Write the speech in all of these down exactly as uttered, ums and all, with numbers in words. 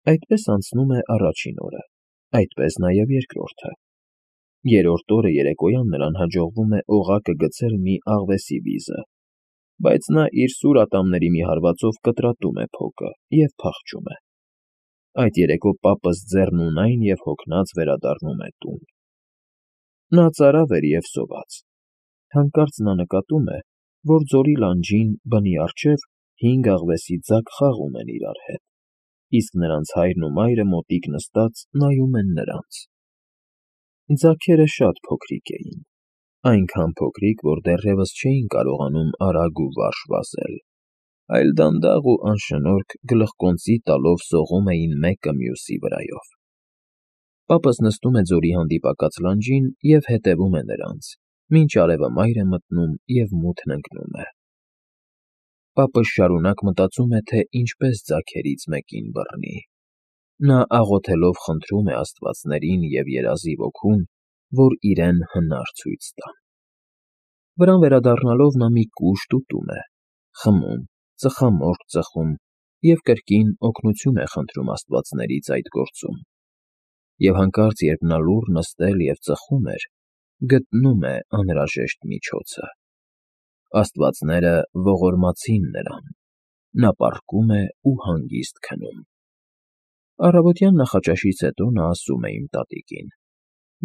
Այդպես անցնում է առաջին օրը, այդպես նաև երկրորդը։ Երրորդ օրը երեկոյան նրան հաջողվում է օղակը գցել մի աղվեսի վիզը, բայց նա իր սուր ատամների մի հարվածով կտրատում է փոկը և փախչում է։ Այդ երեկո պապս ձեռնունայն և հոգնած վերադառնում է տուն։ Նա ծարավ էր և սոված։ Հանկարծ նա նկատում է, որ ձորի լանջին, բնի առջև, հինգ աղվեսի ձագ խաղում են իրար հետ, իսկ նրանց հայրն ու մայրը մոտիկ նստած նայում են նրանց։ Ձագերը շատ փոքրիկ էին, այնքան փոքրիկ, որ դեռևս չէին կարողանում արագ ու վարժ վազել, այլ դանդաղ ու անշնորհք գլխկոնծի տալով սողում էին մեկը մյուսի վրայով։ Պապս նստում է ձորի հանդիպակաց լանջին և հետևում է նրանց, մինչ արևը մայր է մտնում և մութն ընկնում է։ Պապը շարունակ մտածում է, թե ինչպես ձագերից մեկին բռնի։ Նա աղոթելով խնդրում է աստվածներին և երազի ոգուն, որ իրեն հնար ցույց տան։ Վրան վերադառնալով նա մի կուշտ ուտում է, խմում, ծխամորճ ծխում և կրկին օգնություն է խնդրում աստվածներից այդ գործում։ Եվ հանկարծ, երբ նա լուռ նստել և ծխում էր, գտնում է անհրաժեշտ միջոցը։ Աստվածները ողորմացին նրան, նա պառկում է ու հանգիստ քնում։ Առավոտյան նախաճաշից հետո նա ասում է իմ տատիկին.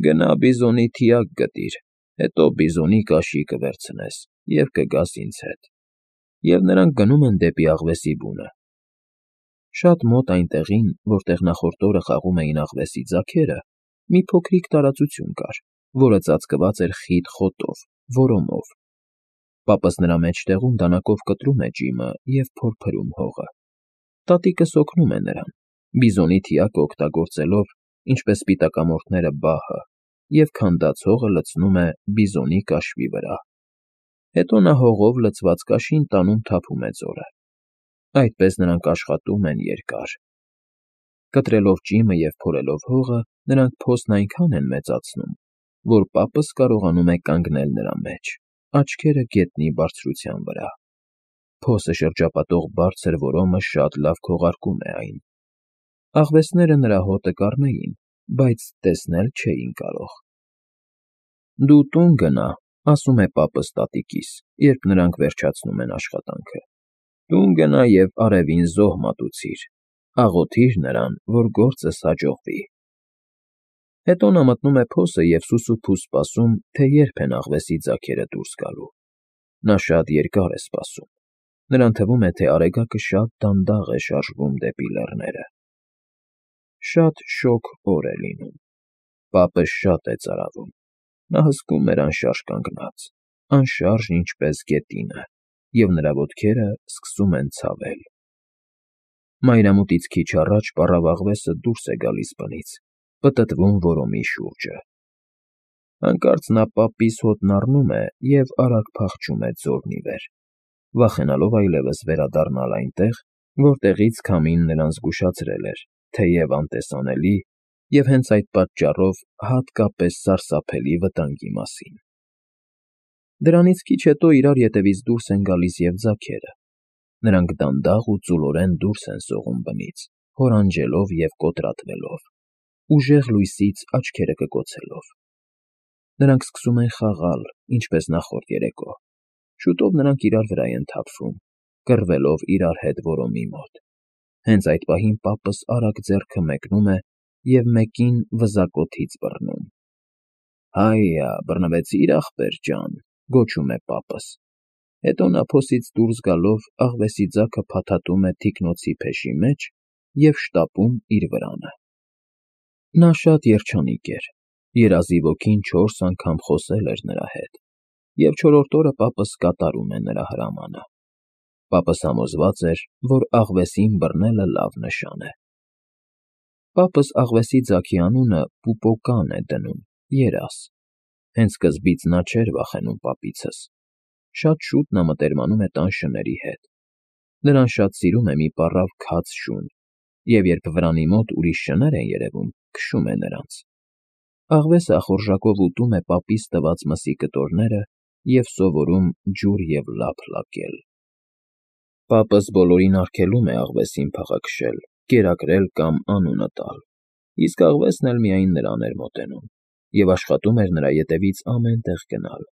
«Գնա բիզոնի թիակ գտիր, հետո բիզոնի կաշի կվերցնես և կգաս ինձ հետ»։ Եվ նրանք գնում են դեպի աղվեսի բունը։ Շատ մոտ այն տեղին, որտեղ նախորդ օրը խաղում էին աղվեսի ձագերը, մի փոքրիկ տարածություն կար, որը ծածկված էր խիտ խոտով, որոմով։ Պապս նրա մեջտեղում դանակով կտրում է ջիմը և փորփրում հողը։ Տատիկս օգնում է նրան, բիզոնի թիակը օգտագործելով, ինչպես սպիտակամորթները, բահը, և քանդած հողը լցնում է բիզոնի կաշվի վրա։ Հետո նա հողով լցված կաշին տանում թափում է ձորը։ Այդպես նրանք աշխատում են երկար։ Կտրելով ջիմը և փորելով հողը, նրանք փոսն այնքան են մեծացնում, որ պապս կարողանում է կանգնել նրա մեջ, աչքերը գետնի բարձրության վրա։ Փոսը շրջապատող բարձր որոմը շատ լավ քողարկում է այն։ Աղվեսները նրա հոտը կառնեին, բայց տեսնել չէին կարող։ «Դու տուն գնա», ասում է պապս տատիկիս, երբ նրանք վերջացնում են աշխատանքը։ «Տուն գնա և արևին զոհ մատուցիր, աղոթիր նրան, որ գործս հաջողվի»։ Հետո նա մտնում է փոսը և սուսուփուս սպասում, թե երբ են աղվեսի ձագերը դուրս գալու։ Նա շատ երկար է սպասում։ Նրան թվում է, թե արեգակը շատ դանդաղ է շարժվում դեպի լեռները։ Շատ շոգ օր է լինում։ Պապը շատ է ծարավում։ Նա հսկում էր անշարժ կանգնած, անշարժ, ինչպես գետինը, և նրա ոտքերը սկսում են ցավել։ Մայրամուտից քիչ առաջ պառավ աղվեսը դուրս է գալիս բնից, պտտվում որոմի շուրջը։ Հանկարծ նա պապիս հոտն առնում է և արագ փախչում է ձորն ի վեր, վախենալով այլևս վերադառնալ այնտեղ, որտեղից քամին նրան զգուշացրել էր, թեև անտեսանելի և հենց այդ պատճառով հատկապես սարսափելի վտանգի մասին։ Դրանից քիչ հետո իրար ետևից դուրս են գալիս և ձագերը։ Նրանք դանդաղ ու ծուլորեն դուրս են սողում բնից, հորանջելով և կոտրատվելով, ուժեղ լույսից աչքերը կկոցելով։ Նրանք սկսում են խաղալ, ինչպես նախորդ երեկո։ Շուտով նրանք իրար վրա են թափվում, կռվելով իրար հետ որոմի մոտ։ Հենց այդ պահին պապս արագ ձեռքը մեկնում է և մեկին վզակոթից բռնում։ «Հայա, բռնվեցի՞ր, ախպեր ջան», գոչում է պապս։ Հետո նա փոսից դուրս գալով աղվեսի ձագը փաթաթում է թիկնոցի փեշի մեջ և շտապում իր վրանը։ Նա շատ երջանիկ էր, երազի ոգին չորս անգամ խոսել էր նրա հետ, և չորրորդ օրը պապս կատարում է նրա հրամանը։ Պապս համոզված էր, որ աղվեսին բռնելը լավ նշան է։ Պապս աղվեսի ձագի անունը Պուպոկան է դնում, երազ։ Հենց սկզբից նա չէր վախենում պապիցս։ Շատ շուտ նա մտերմանում է տան շների հետ։ Նրան շատ սիրում է մի պառավ քաց շուն, և երբ վրանի մոտ ուրիշ շներ են երևում, քշում է նրանց։ Աղվեսը ախորժակով ուտում է պապիս տված մսի կտորները և սովորում ջուր և լափ լակել։ Պապս բոլորին արգելում է աղվեսին փղը քշել, կերակրել կամ անունը տալ, իսկ աղվեսն էլ միայն նրան էր մոտենում և աշխատում էր նրա ետևից ամեն տեղ գնալ,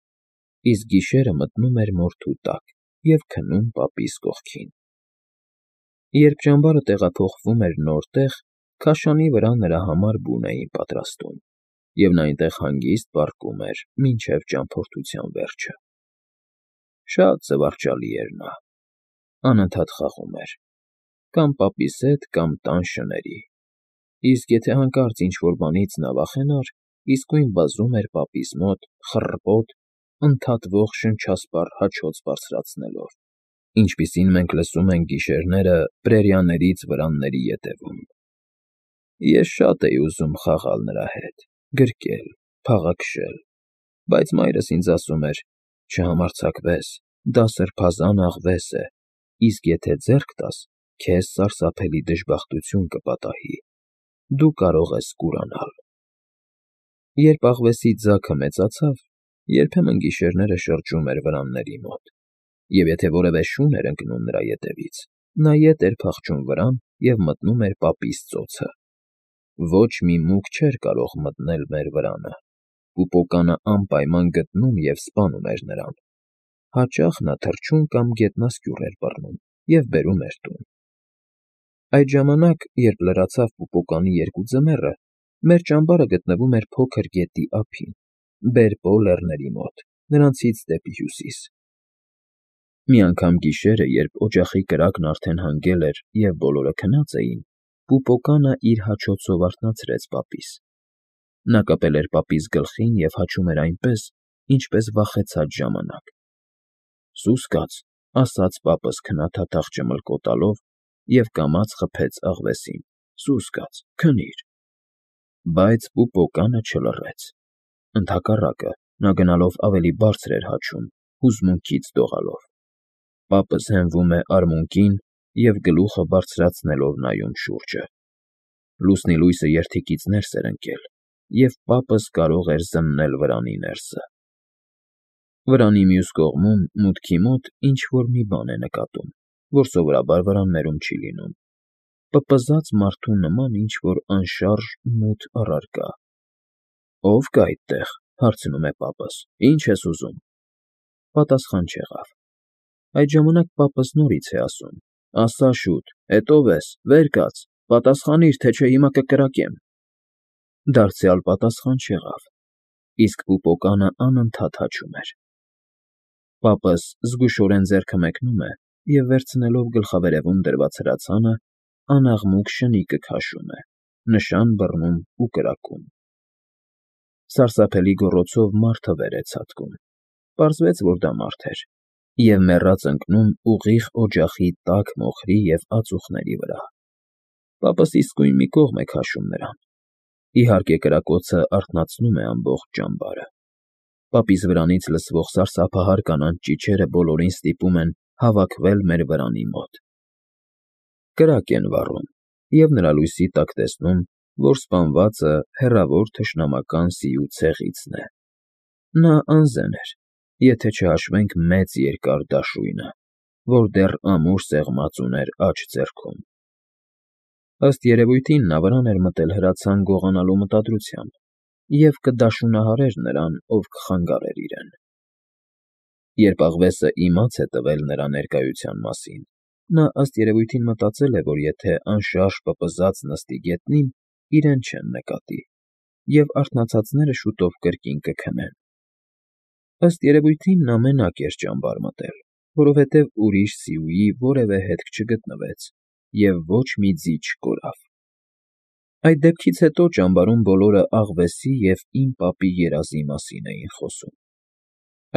իսկ գիշերը մտնում էր մորթու տակ և քնում պապիս կողքին։ Երբ ճամբարը տեղափոխվում էր նոր տեղ, քաշանի վրա նրա համար բուն էին պատրաստում, և նա այնտեղ հանգիստ պառկում էր մինչև ճամփորդության վերջը։ Շատ զվարճալի էր նա, անընդհատ խաղում էր կամ պապիս հետ, կամ տան շների, իսկ եթե հանկարծ ինչ֊որ բանից նա վախենար, իսկույն վազում էր պապիս մոտ խռպոտ, ընդհատվող շնչասպառ հաչոց բարձրացնելով, ինչպիսին մենք լսում ենք գիշերները պրերիաներից վրանների ետևում։ Ես շատ էի ուզում խաղալ նրա հետ, գրկել, փաղաքշել, բայց մայրս ինձ ասում էր. «Չհամարձակվես, դա սրբազան աղվես է, իսկ եթե ձեռք տաս, քեզ սարսափելի դժբախտություն կպատահի, դու կարող ես կուրանալ»։ Երբ աղվեսի ձագը մեծացավ, երբեմն գիշերները շրջում էր վրանների մոտ, և եթե որևէ շուն էր ընկնում նրա ետևից, նա ետ էր փախչում վրան և մտնում էր պապիս ծոցը։ Ոչ մի մուկ չէր կարող մտնել մեր վրանը, պուպոկանը անպայման գտնում և սպանում էր նրան։ Հաճախ նա թռչուն կամ գետնասկյուռ էր բռնում և բերում էր տուն։ Այդ ժամանակ, երբ լրացավ պուպոկանի երկու ձմեռը, մեր ճամբարը գտնվում էր փոքր գետի ափին, Բերպո լեռների մոտ, նրանցից դեպի հյուսիս։ Մի անգամ գիշերը, երբ օջախի կրակն արդեն հանգել էր և բոլորը քնած էին, պուպոկանը իր հաչոցով արթնացրեց պապիս։ Նա կպել էր պապիս գլխին և հաչում էր այնպես, ինչպես վախեցած ժամանակ։ «Սուս կաց», ասաց պապս քնաթաթախ ճմլկոտալով և կամաց խփեց աղվեսին, «սուս կաց, քնիր»։ Բայց պուպոկանը չլռեց։ Ընդհակառակը, նա գնալով ավելի բարձր էր հաչում, հուզմունքից դողալով։ Պապս հենվում է արմունկին և գլուխը բարձրացնելով նայում շուրջը։ Լուսնի լույսը երդիկից ներս էր ընկել, և պապս կարող էր զննել վրանի ներսը։ Վրանի մյուս կողմում, մուտքի մոտ, ինչ֊որ մի բան է նկատում, որ սովորաբար վրաններում չի լինում, պպզած մարդու նման ինչ֊որ անշարժ մութ առարկա։ «Ո՞վ կա այդտեղ», հարցնում է պապս, «ինչ ես ուզում»։ Պատասխան չեղավ։ Այդ ժամանակ պապս նորից է ասում. «Ասա շուտ, էդ ո՞վ ես, վեր կաց, պատասխանիր, թե չէ հիմա կկրակեմ»։ Դարձյալ պատասխան չեղավ, իսկ պուպոկանը անընդհատ հաչում էր։ Պապս զգուշորեն ձեռքը մեկնում է և, վերցնելով գլխավերևում դրված հրացանը, անաղմուկ շնիկը քաշում է, նշան բռնում ու կրակում։ Սարսափելի գոռոցով մարդը վեր է ցատկում։ Պարզվեց, որ դա մարդ էր, և մեռած ընկնում ուղիղ օջախի տաք մոխրի և ածուխների վրա։ Պապս իսկույն մի կողմ է քաշում նրան։ Իհարկե, կրակոցը արթնացնում է ամբողջ ճամբարը։ Պապիս վրանից լսվող սարսափահար կանանց ճիչերը բոլորին ստիպում են հավաքվել մեր վրանի մոտ։ Կրակ են վառում, և նրա լույսի տակ տեսնում, որ սպանվածը հեռավոր թշնամական սիու ցեղիցն է։ Նա անզեն էր, եթե չհաշվենք մեծ երկար դաշույնը, որ դեռ ամուր սեղմած ուներ աջ ձեռքում։ Ըստ երևույթին նա վրան էր մտել հրացան գողանալու մտադրությամբ և կդաշունահարեր նրան, ով կխանգարեր իրեն։ Երբ աղվեսը իմաց է տվել նրա ներկայության մասին, նա ըստ երևույթին մտածել է, որ եթե անշարժ պպզած նստի գետնին, իրեն չեն նկատի, և արթնացածները շուտով կրկին կքնեն։ Ըստ երևույթին նա մենակ էր ճամբար մտել, որովհետև ուրիշ սիուի որևէ հետք չգտնվեց և ոչ մի ձի չկորավ։ Այդ դեպքից հետո ճամբարում բոլորը աղվեսի և իմ պապի երազի մասին էին խոսում։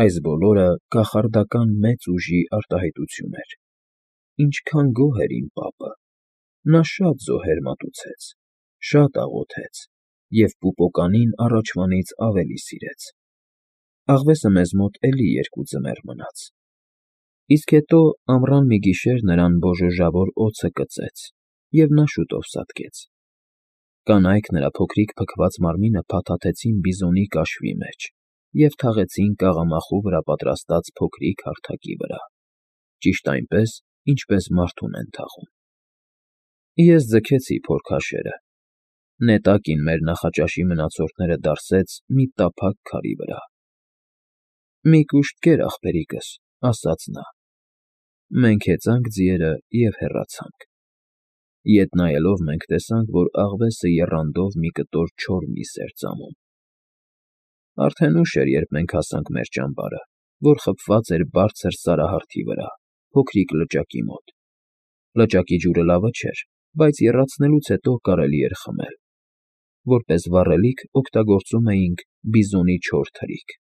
Այս բոլորը կախարդական մեծ ուժի արտահայտություն էր։ Ինչքան գոհ էր իմ պապը։ Նա շատ զոհեր մատուցեց, շատ աղոթեց և պուպոկանին առաջվանից ավելի սիրեց։ Աղվեսը մեզ մոտ էլի երկու ձմեռ մնաց։ Իսկ հետո ամռան մի գիշեր նրան բոժոժավոր օձը կծեց, և նա շուտով սատկեց։ Կանայք նրա փոքրիկ փքված մարմինը փաթաթեցին բիզոնի կաշվի մեջ և թաղեցին կաղամախու վրա պատրաստած փոքրիկ հարթակի վրա, ճիշտ այնպես, ինչպես մարդուն են թաղում։ Ես ձգեցի փորքաշերը։ Նետակին մեր նախաճաշի մնացորդները դարսեց մի տափակ քարի վրա։ ֊ Մի կուշտ կեր, ախպերիկս, ֊ ասաց նա։ Մենք հեծանք ձիերը և հեռացանք։ Ետ նայելով մենք տեսանք, որ աղվեսը եռանդով մի կտոր չոր միս էր ծամում։ Արդեն ուշ էր, երբ մենք հասանք մեր ճամբարը, որ խփված էր բարձր սարահարթի վրա, փոքրիկ լճակի մոտ։ Լճակի ջուրը լավը չէր, բայց եռացնելուց հետո կարելի էր խմել։ Որպես վառելիք օգտագործում էինք բիզոնի չոր թրիք։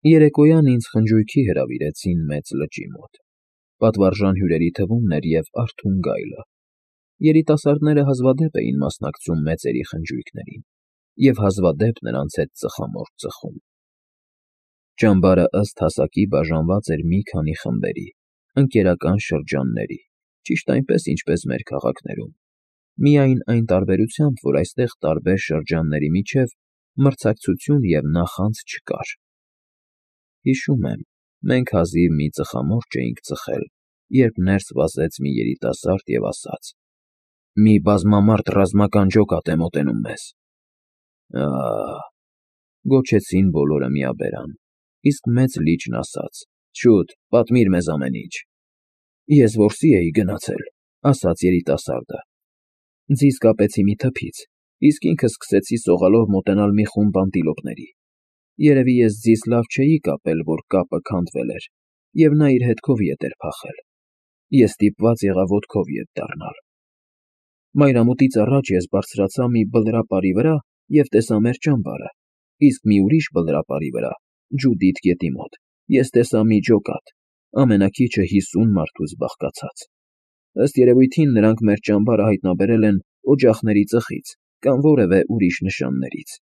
Երեկոյան ինձ խնջույքի հրավիրեցին մեծ լճի մոտ։ Պատվարժան հյուրերի թվում էր և Արթուն գայլը։ Երիտասարդները հազվադեպ էին մասնակցում մեծերի խնջույքներին և հազվադեպ նրանց հետ ծխամորճ ծխում։ Ճամբարը ըստ հասակի բաժանված էր մի քանի խմբերի, ընկերական շրջանների, ճիշտ այնպես, ինչպես մեր քաղաքներում, միայն այն տարբերությամբ, որ այստեղ տարբեր շրջանների միջև մրցակցություն և նախանձ չկար։ Հիշում եմ, մենք հազիվ մի ծխամորճ էինք ծխել, երբ ներս վազեց մի երիտասարդ և ասաց. «Մի բազմամարդ ռազմական ջոկատ է մոտենում մեզ»։ Ա՜, գոչեցին բոլորը միաբերան, իսկ մեծ լիճն ասաց. «Շուտ, պատմիր մեզ ամեն ինչ»։ Ես որսի էի գնացել, ֊ ասաց երիտասարդը։ Ձիզ կապեցի մի թփից, իսկ ինքս սկսեցի սողալով մոտենալ մի խումբ անտիլոպների։ Երևի ես ձիզ լավ չէի կապել, որ կապը քանդվել էր, և նա իր հետքով ետ էր փախել։ Ես ստիպված եղա ոտքով ետ դառնալ։ Մայրամուտից առաջ ես բարձրացա մի բլրապարի վրա և տեսա մեր ճամբարը, իսկ մի ուրիշ բլրապարի վրա, Ջուդիթ գետի մոտ, ես տեսա մի ջոկատ, ամենաքիչը հիսուն մարդուց բաղկացած։ Ըստ երևույթին նրանք մեր ճամբարը հայտնաբերել են օջախների ծխից կամ որևէ ուրիշ նշաններից։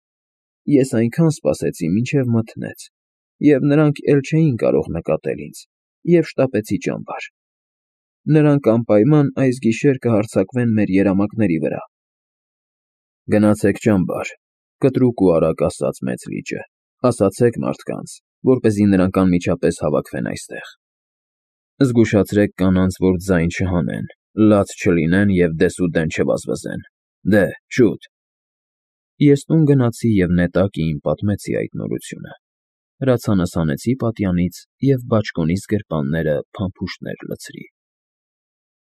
Ես այնքան սպասեցի, մինչև մթնեց, և նրանք էլ չէին կարող նկատել ինձ, և շտապեցի ճամբար։ Նրանք անպայման այս գիշեր կհարձակվեն մեր երամակների վրա։ Գնացեք ճամբար, ֊ կտրուկ ու արագ ասաց մեծ լիճը, ֊ ասացեք մարդկանց, որպեսզի նրանք անմիջապես հավաքվեն այստեղ։ Զգուշացրեք կանանց, որ ձայն չհանեն, լաց չլինեն և դեսուդեն չվազվզեն։ Դե, շուտ։ Ես տուն գնացի և նետակը իմ պատմեցի այդ նորությունը։ Հրացանս հանեցի պատյանից և բաճկոնիս գրպանները փամփուշտներ լցրի։ ֊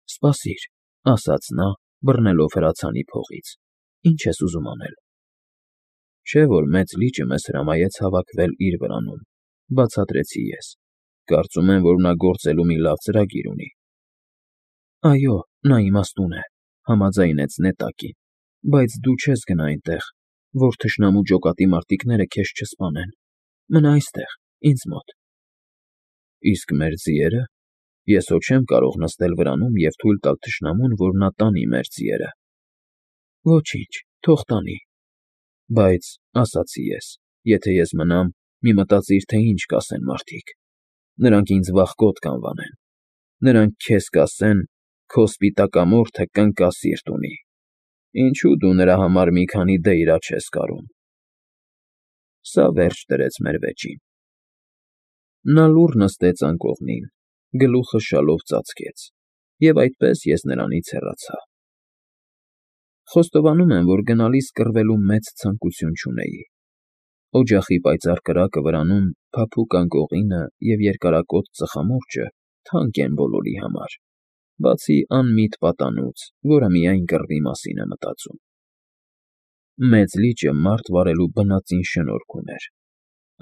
Սպասիր, ֊ ասաց նա, բռնելով հրացանի փողից, ֊ ինչ ես ուզում անել։ Չէ՞ որ մեծ լիճը մեզ հրամայեց հավաքվել իր վրանում, ֊ բացատրեցի ես։ Կարծում եմ, որ նա գործելու մի լավ ծրագիր ունի։ Այո, նա իմաստուն է, ֊ համաձայնեց նետակին, ֊ բայց դու չես գնա այնտեղ, որ թշնամու ջոկատի մարտիկները քեզ չսպանեն։ Մնա այստեղ, ինձ մոտ։ Իսկ մեր ձիե՞րը։ Ես հո չեմ կարող նստել վրանում և թույլ տալ թշնամուն, որ նա տանի մեր ձիերը։ Ոչինչ, թող տանի։ Բայց, ֊ ասացի ես, ֊ եթե ես մնամ, մի մտածիր, թե ինչ կասեն մարդիկ։ Նրանք ինձ վախկոտ կանվանեն։ Նրանք քեզ կասեն. «Քո սպիտակամորթը կնկա սիրտ ունի. ինչու դու նրա համար մի քանի դեյրա չես կարում»։ Սա վերջ դրեց մեր վեճին։ Նա լուռ նստեց անկողնին, գլուխը շալով ծածկեց, և այդպես ես նրանից հեռացա։ Խոստովանում եմ, որ գնալիս կռվելու մեծ ցանկություն չունեի։ Օջախի պայծառ կրակը վրանում, փափուկ անկողինը և երկարակոթ ծխամորճը թանկ են բոլորի համար, բացի անմիտ պատանուց, որը միայն կռվի մասին է մտածում։ Մեծ լիճը մարդ վարելու բնածին շնորհք ուներ։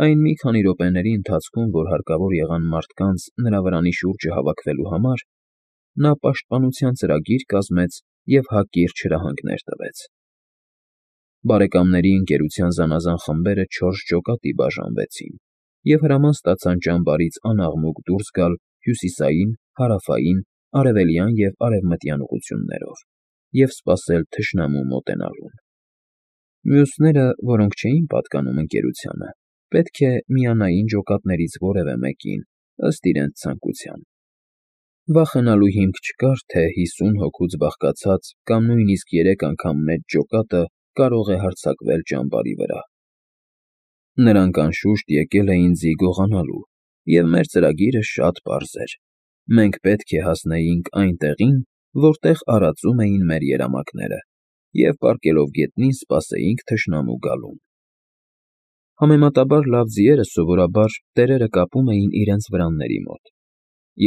Այն մի քանի րոպեների ընթացքում, որ հարկավոր եղան մարդկանց նրա վրանի շուրջը հավաքվելու համար, նա պաշտպանության ծրագիր կազմեց և հակիրճ հրահանգներ տվեց։ Բարեկամների ընկերության զանազան խմբերը չորս ջոկատի բաժանվեցին և հրաման ստացան ճամբարից անաղմուկ դուրս գալ հյուսիսային, հարավային, արևելյան և արևմտյան ուղղություններով և սպասել թշնամու մոտենալուն։ Մյուսները, որոնք չէին պատկանում ընկերությանը, պետք է միանային ջոկատներից որևէ մեկին, ըստ իրենց ցանկության։ Վախենալու հիմք չկար, թե հիսուն հոգուց բաղկացած կամ նույնիսկ երեք անգամ մեծ ջոկատը կարող է հարձակվել ճամբարի վրա։ Նրանք, անշուշտ, եկել էին ձի գողանալու, և մեր ծրագիրը շատ պարզ էր. մենք պետք է հասնեինք այն տեղին, որտեղ արածում էին մեր երամակները, և պառկելով գետնին սպասեինք թշնամու գալուն։ Համեմատաբար լավ ձիերը սովորաբար տերերը կապում էին իրենց վրանների մոտ,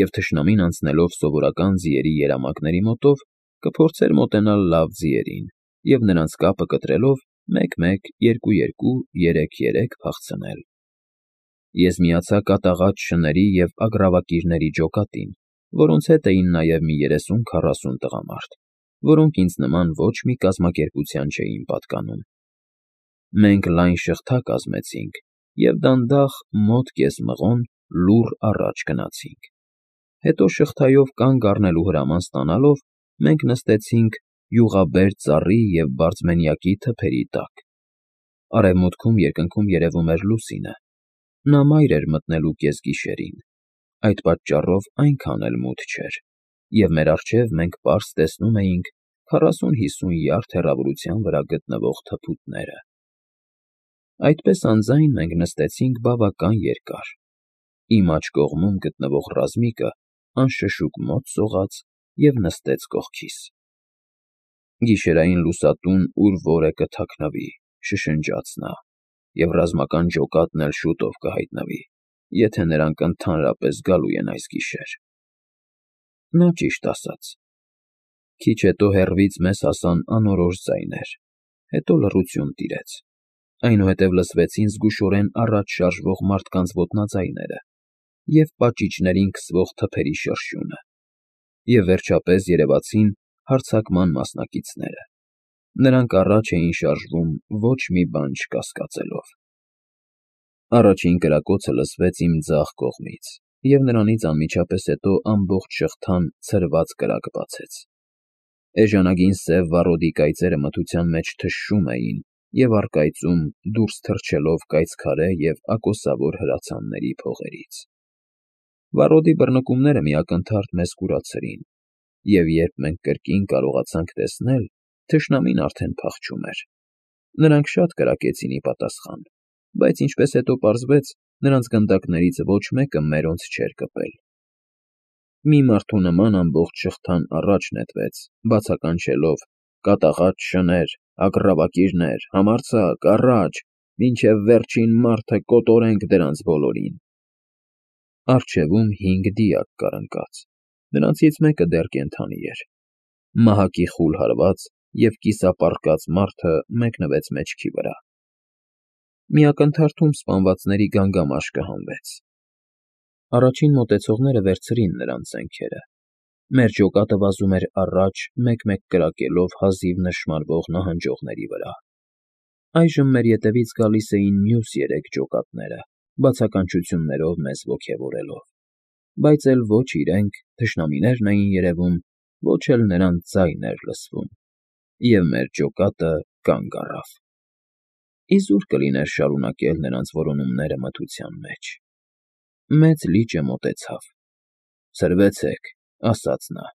և թշնամին անցնելով սովորական ձիերի երամակների մոտով կփորձեր մոտենալ լավ ձիերին և նրանց կապը կտրելով մեկ֊մեկ, երկու֊երկու, երեք֊երեք փախցնել։ Ես միացա կատաղած շների և ագռավակիրների ջոկատին, որոնց հետ էին նաև մի երեսուն֊քառասուն տղամարդ, որոնք ինձ նման ոչ մի կազմակերպության չէին պատկանում։ Մենք լայն շղթա կազմեցինք և դանդաղ, մոտ կես մղոն, լուռ առաջ գնացինք։ Հետո շղթայով կանգ առնելու հրաման ստանալով մենք նստեցինք յուղաբերդ ծառի և բարձմենյակի թփերի տակ։ Արևմուտքում երկնքում երևում էր լուսինը, նա մայր էր մտնելու կեսգիշերին, այդ պատճառով այնքան էլ մութ չէր, և մեր առջև մենք պարզ տեսնում էինք քառասուն֊հիսուն յարդ հեռավորության վրա գտնվող թփուտները։ Այդպես անձայն մենք նստեցինք բավական երկար։ Իմ աջ կողմում գտնվող ռազմիկը անշշուկ մոտ սողաց և նստեց կողքիս։ «Գիշերային լուսատուն ուր որ է կթաքնվի», շշնջաց նա, «և ռազմական ջոկատն էլ շուտով կհայտնվի, եթե նրանք ընդհանրապես գալու են այս գիշեր»։ Նա ճիշտ ասաց։ Քիչ հետո հեռվից մեզ հասան անորոշ ձայներ, հետո լռություն տիրեց, այնուհետև լսվեցին զգուշորեն առաջ շարժվող մարդկանց ոտնաձայները և պաճիճներին քսվող թփերի շրշյունը, և վերջապես երևացին հարձակման մասնակիցները։ Նրանք առաջ էին շարժվում ոչ մի բան չկասկածելով։ Առաջին կրակոցը լսվեց իմ ձախ կողմից, և նրանից անմիջապես հետո ամբողջ շղթան ցրված կրակ բացեց։ Էժանագին սև վառոդի կայծերը մթության մեջ թշշում էին և առկայծում դուրս թռչելով կայծքարե և ակոսավոր հրացանների փողերից։ Վառոդի բռնկումները մի ակնթարթ մեզ կուրացրին, և երբ մենք կրկին կարողացանք տեսնել, թշնամին արդեն փախչում էր։ Նրանք շատ կրակեցին ի պատասխան, բայց ինչպես հետո պարզվեց, նրանց գնդակներից ոչ մեկը մերոնց չէր կպել։ Մի մարդու նման ամբողջ շղթան առաջ նետվեց, բացականչելով. «Կատաղած շներ, ագռավակիրներ, համարձակ, առաջ, մինչև վերջին մարդը կոտորենք դրանց բոլորին»։ Առջևում հինգ դիակ կար ընկած, նրանցից մեկը դեռ կենդանի էր։ Մահակի խուլ հարված և կիսապառկած մարդը մեկնվեց մեջքի վրա։ Մի ակնթարթում սպանվածների գանգամաշկը հանվեց։ Առաջին մոտեցողները վերցրին նրանց զենքերը։ Մեր ջոկատը վազում էր առաջ մեկ֊մեկ կրակելով հազիվ նշմարվող նահանջողների վրա։ Այժմ մեր ետևից գալիս էին մյուս երեք ջոկատները, բացականչություններով մեզ ոգևորելով, բայց էլ ոչ իրենք, թշնամիներն էին երևում, ոչ էլ նրանց ձայն էր լսվում, և մեր ջոկատը կանգ առավ։ Իզուր կլիներ շարունակել նրանց որոնումները մթության մեջ։ Մեծ լիճը մոտեցավ։ «Ցրվեցեք», ասաց նա,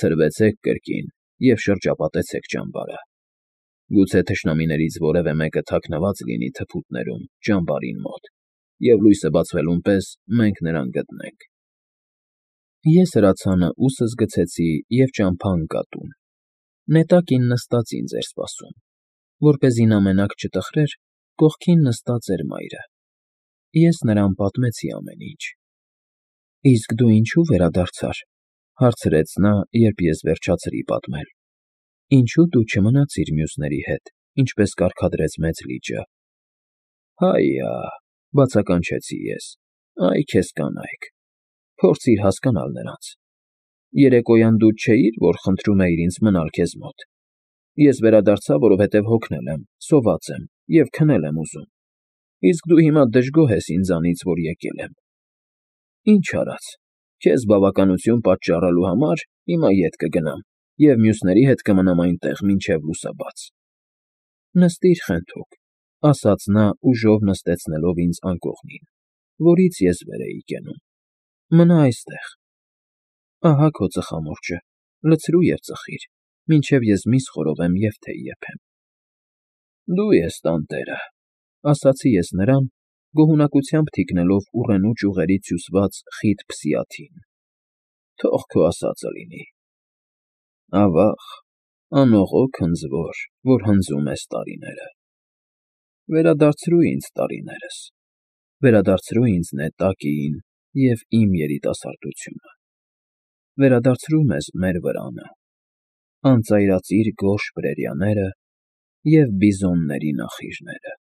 «ցրվեցեք կրկին և շրջապատեցեք ճամբարը։ Գուցե թշնամիներից որևէ մեկը թաքնված լինի թփուտներում, ճամբարին մոտ, և լույսը բացվելուն պես մենք նրան գտնենք»։ Ես հրացանը ուսս գցեցի և ճամփա ընկա տուն։ Նետակին նստած ինձ էր սպասում։ Որպեսզի նա մենակ չտխրեր, կողքին նստած էր մայրը։ Ես նրան պատմեցի ամեն ինչ։ «Իսկ դու ինչո՞ւ վերադարձար», հարցրեց նա, երբ ես վերջացրի պատմել։ «Ինչո՞ւ դու չմնացիր մյուսների հետ, ինչպես կարգադրեց մեծ լիճը»։ «Հայա», բացականչեցի ես, «այ քեզ կանայք, փորձիր հասկանալ նրանց։ Երեկոյան դու չէի՞ր, որ խնդրում էիր ինձ մնալ քեզ մոտ։ Ես վերադարձա, որովհետև հոգնել եմ, սոված եմ և քնել եմ ուզում։ Իսկ դու հիմա դժգոհ ես ինձանից, որ եկել եմ։ Ինչ արած, քեզ բավականություն պատճառելու համար հիմա ետ կգնամ և մյուսների հետ կմնամ այնտեղ մինչև լուսաբաց»։ «Նստիր խենթուկ», ասաց նա ուժով նստեցնելով ինձ անկողնին, որից ես վեր էի կենում, «մնա այստեղ։ Ահա քո ծխամորճը, լցրու և ծխիր, մինչև ես միս խորովեմ և թեյ եփեմ»։ «Դու ես տանտերը», ասացի ես նրան, գոհունակությամբ թիկնելով ուռենու ճյուղերից հյուսված խիտ փսի աթին։ «Թող քո ասածը լինի»։ Ավա՜ղ, անողոք հնձվոր, որ հնձում ես տարիները, վերադարձրու ինձ տարիներս, վերադարձրու ինձ նետակին և իմ երիտասարդությունը, վերադարձրու մեզ մեր վրանը, անծայրածիր գորշ բրերյաները և բիզոնների նախիժները։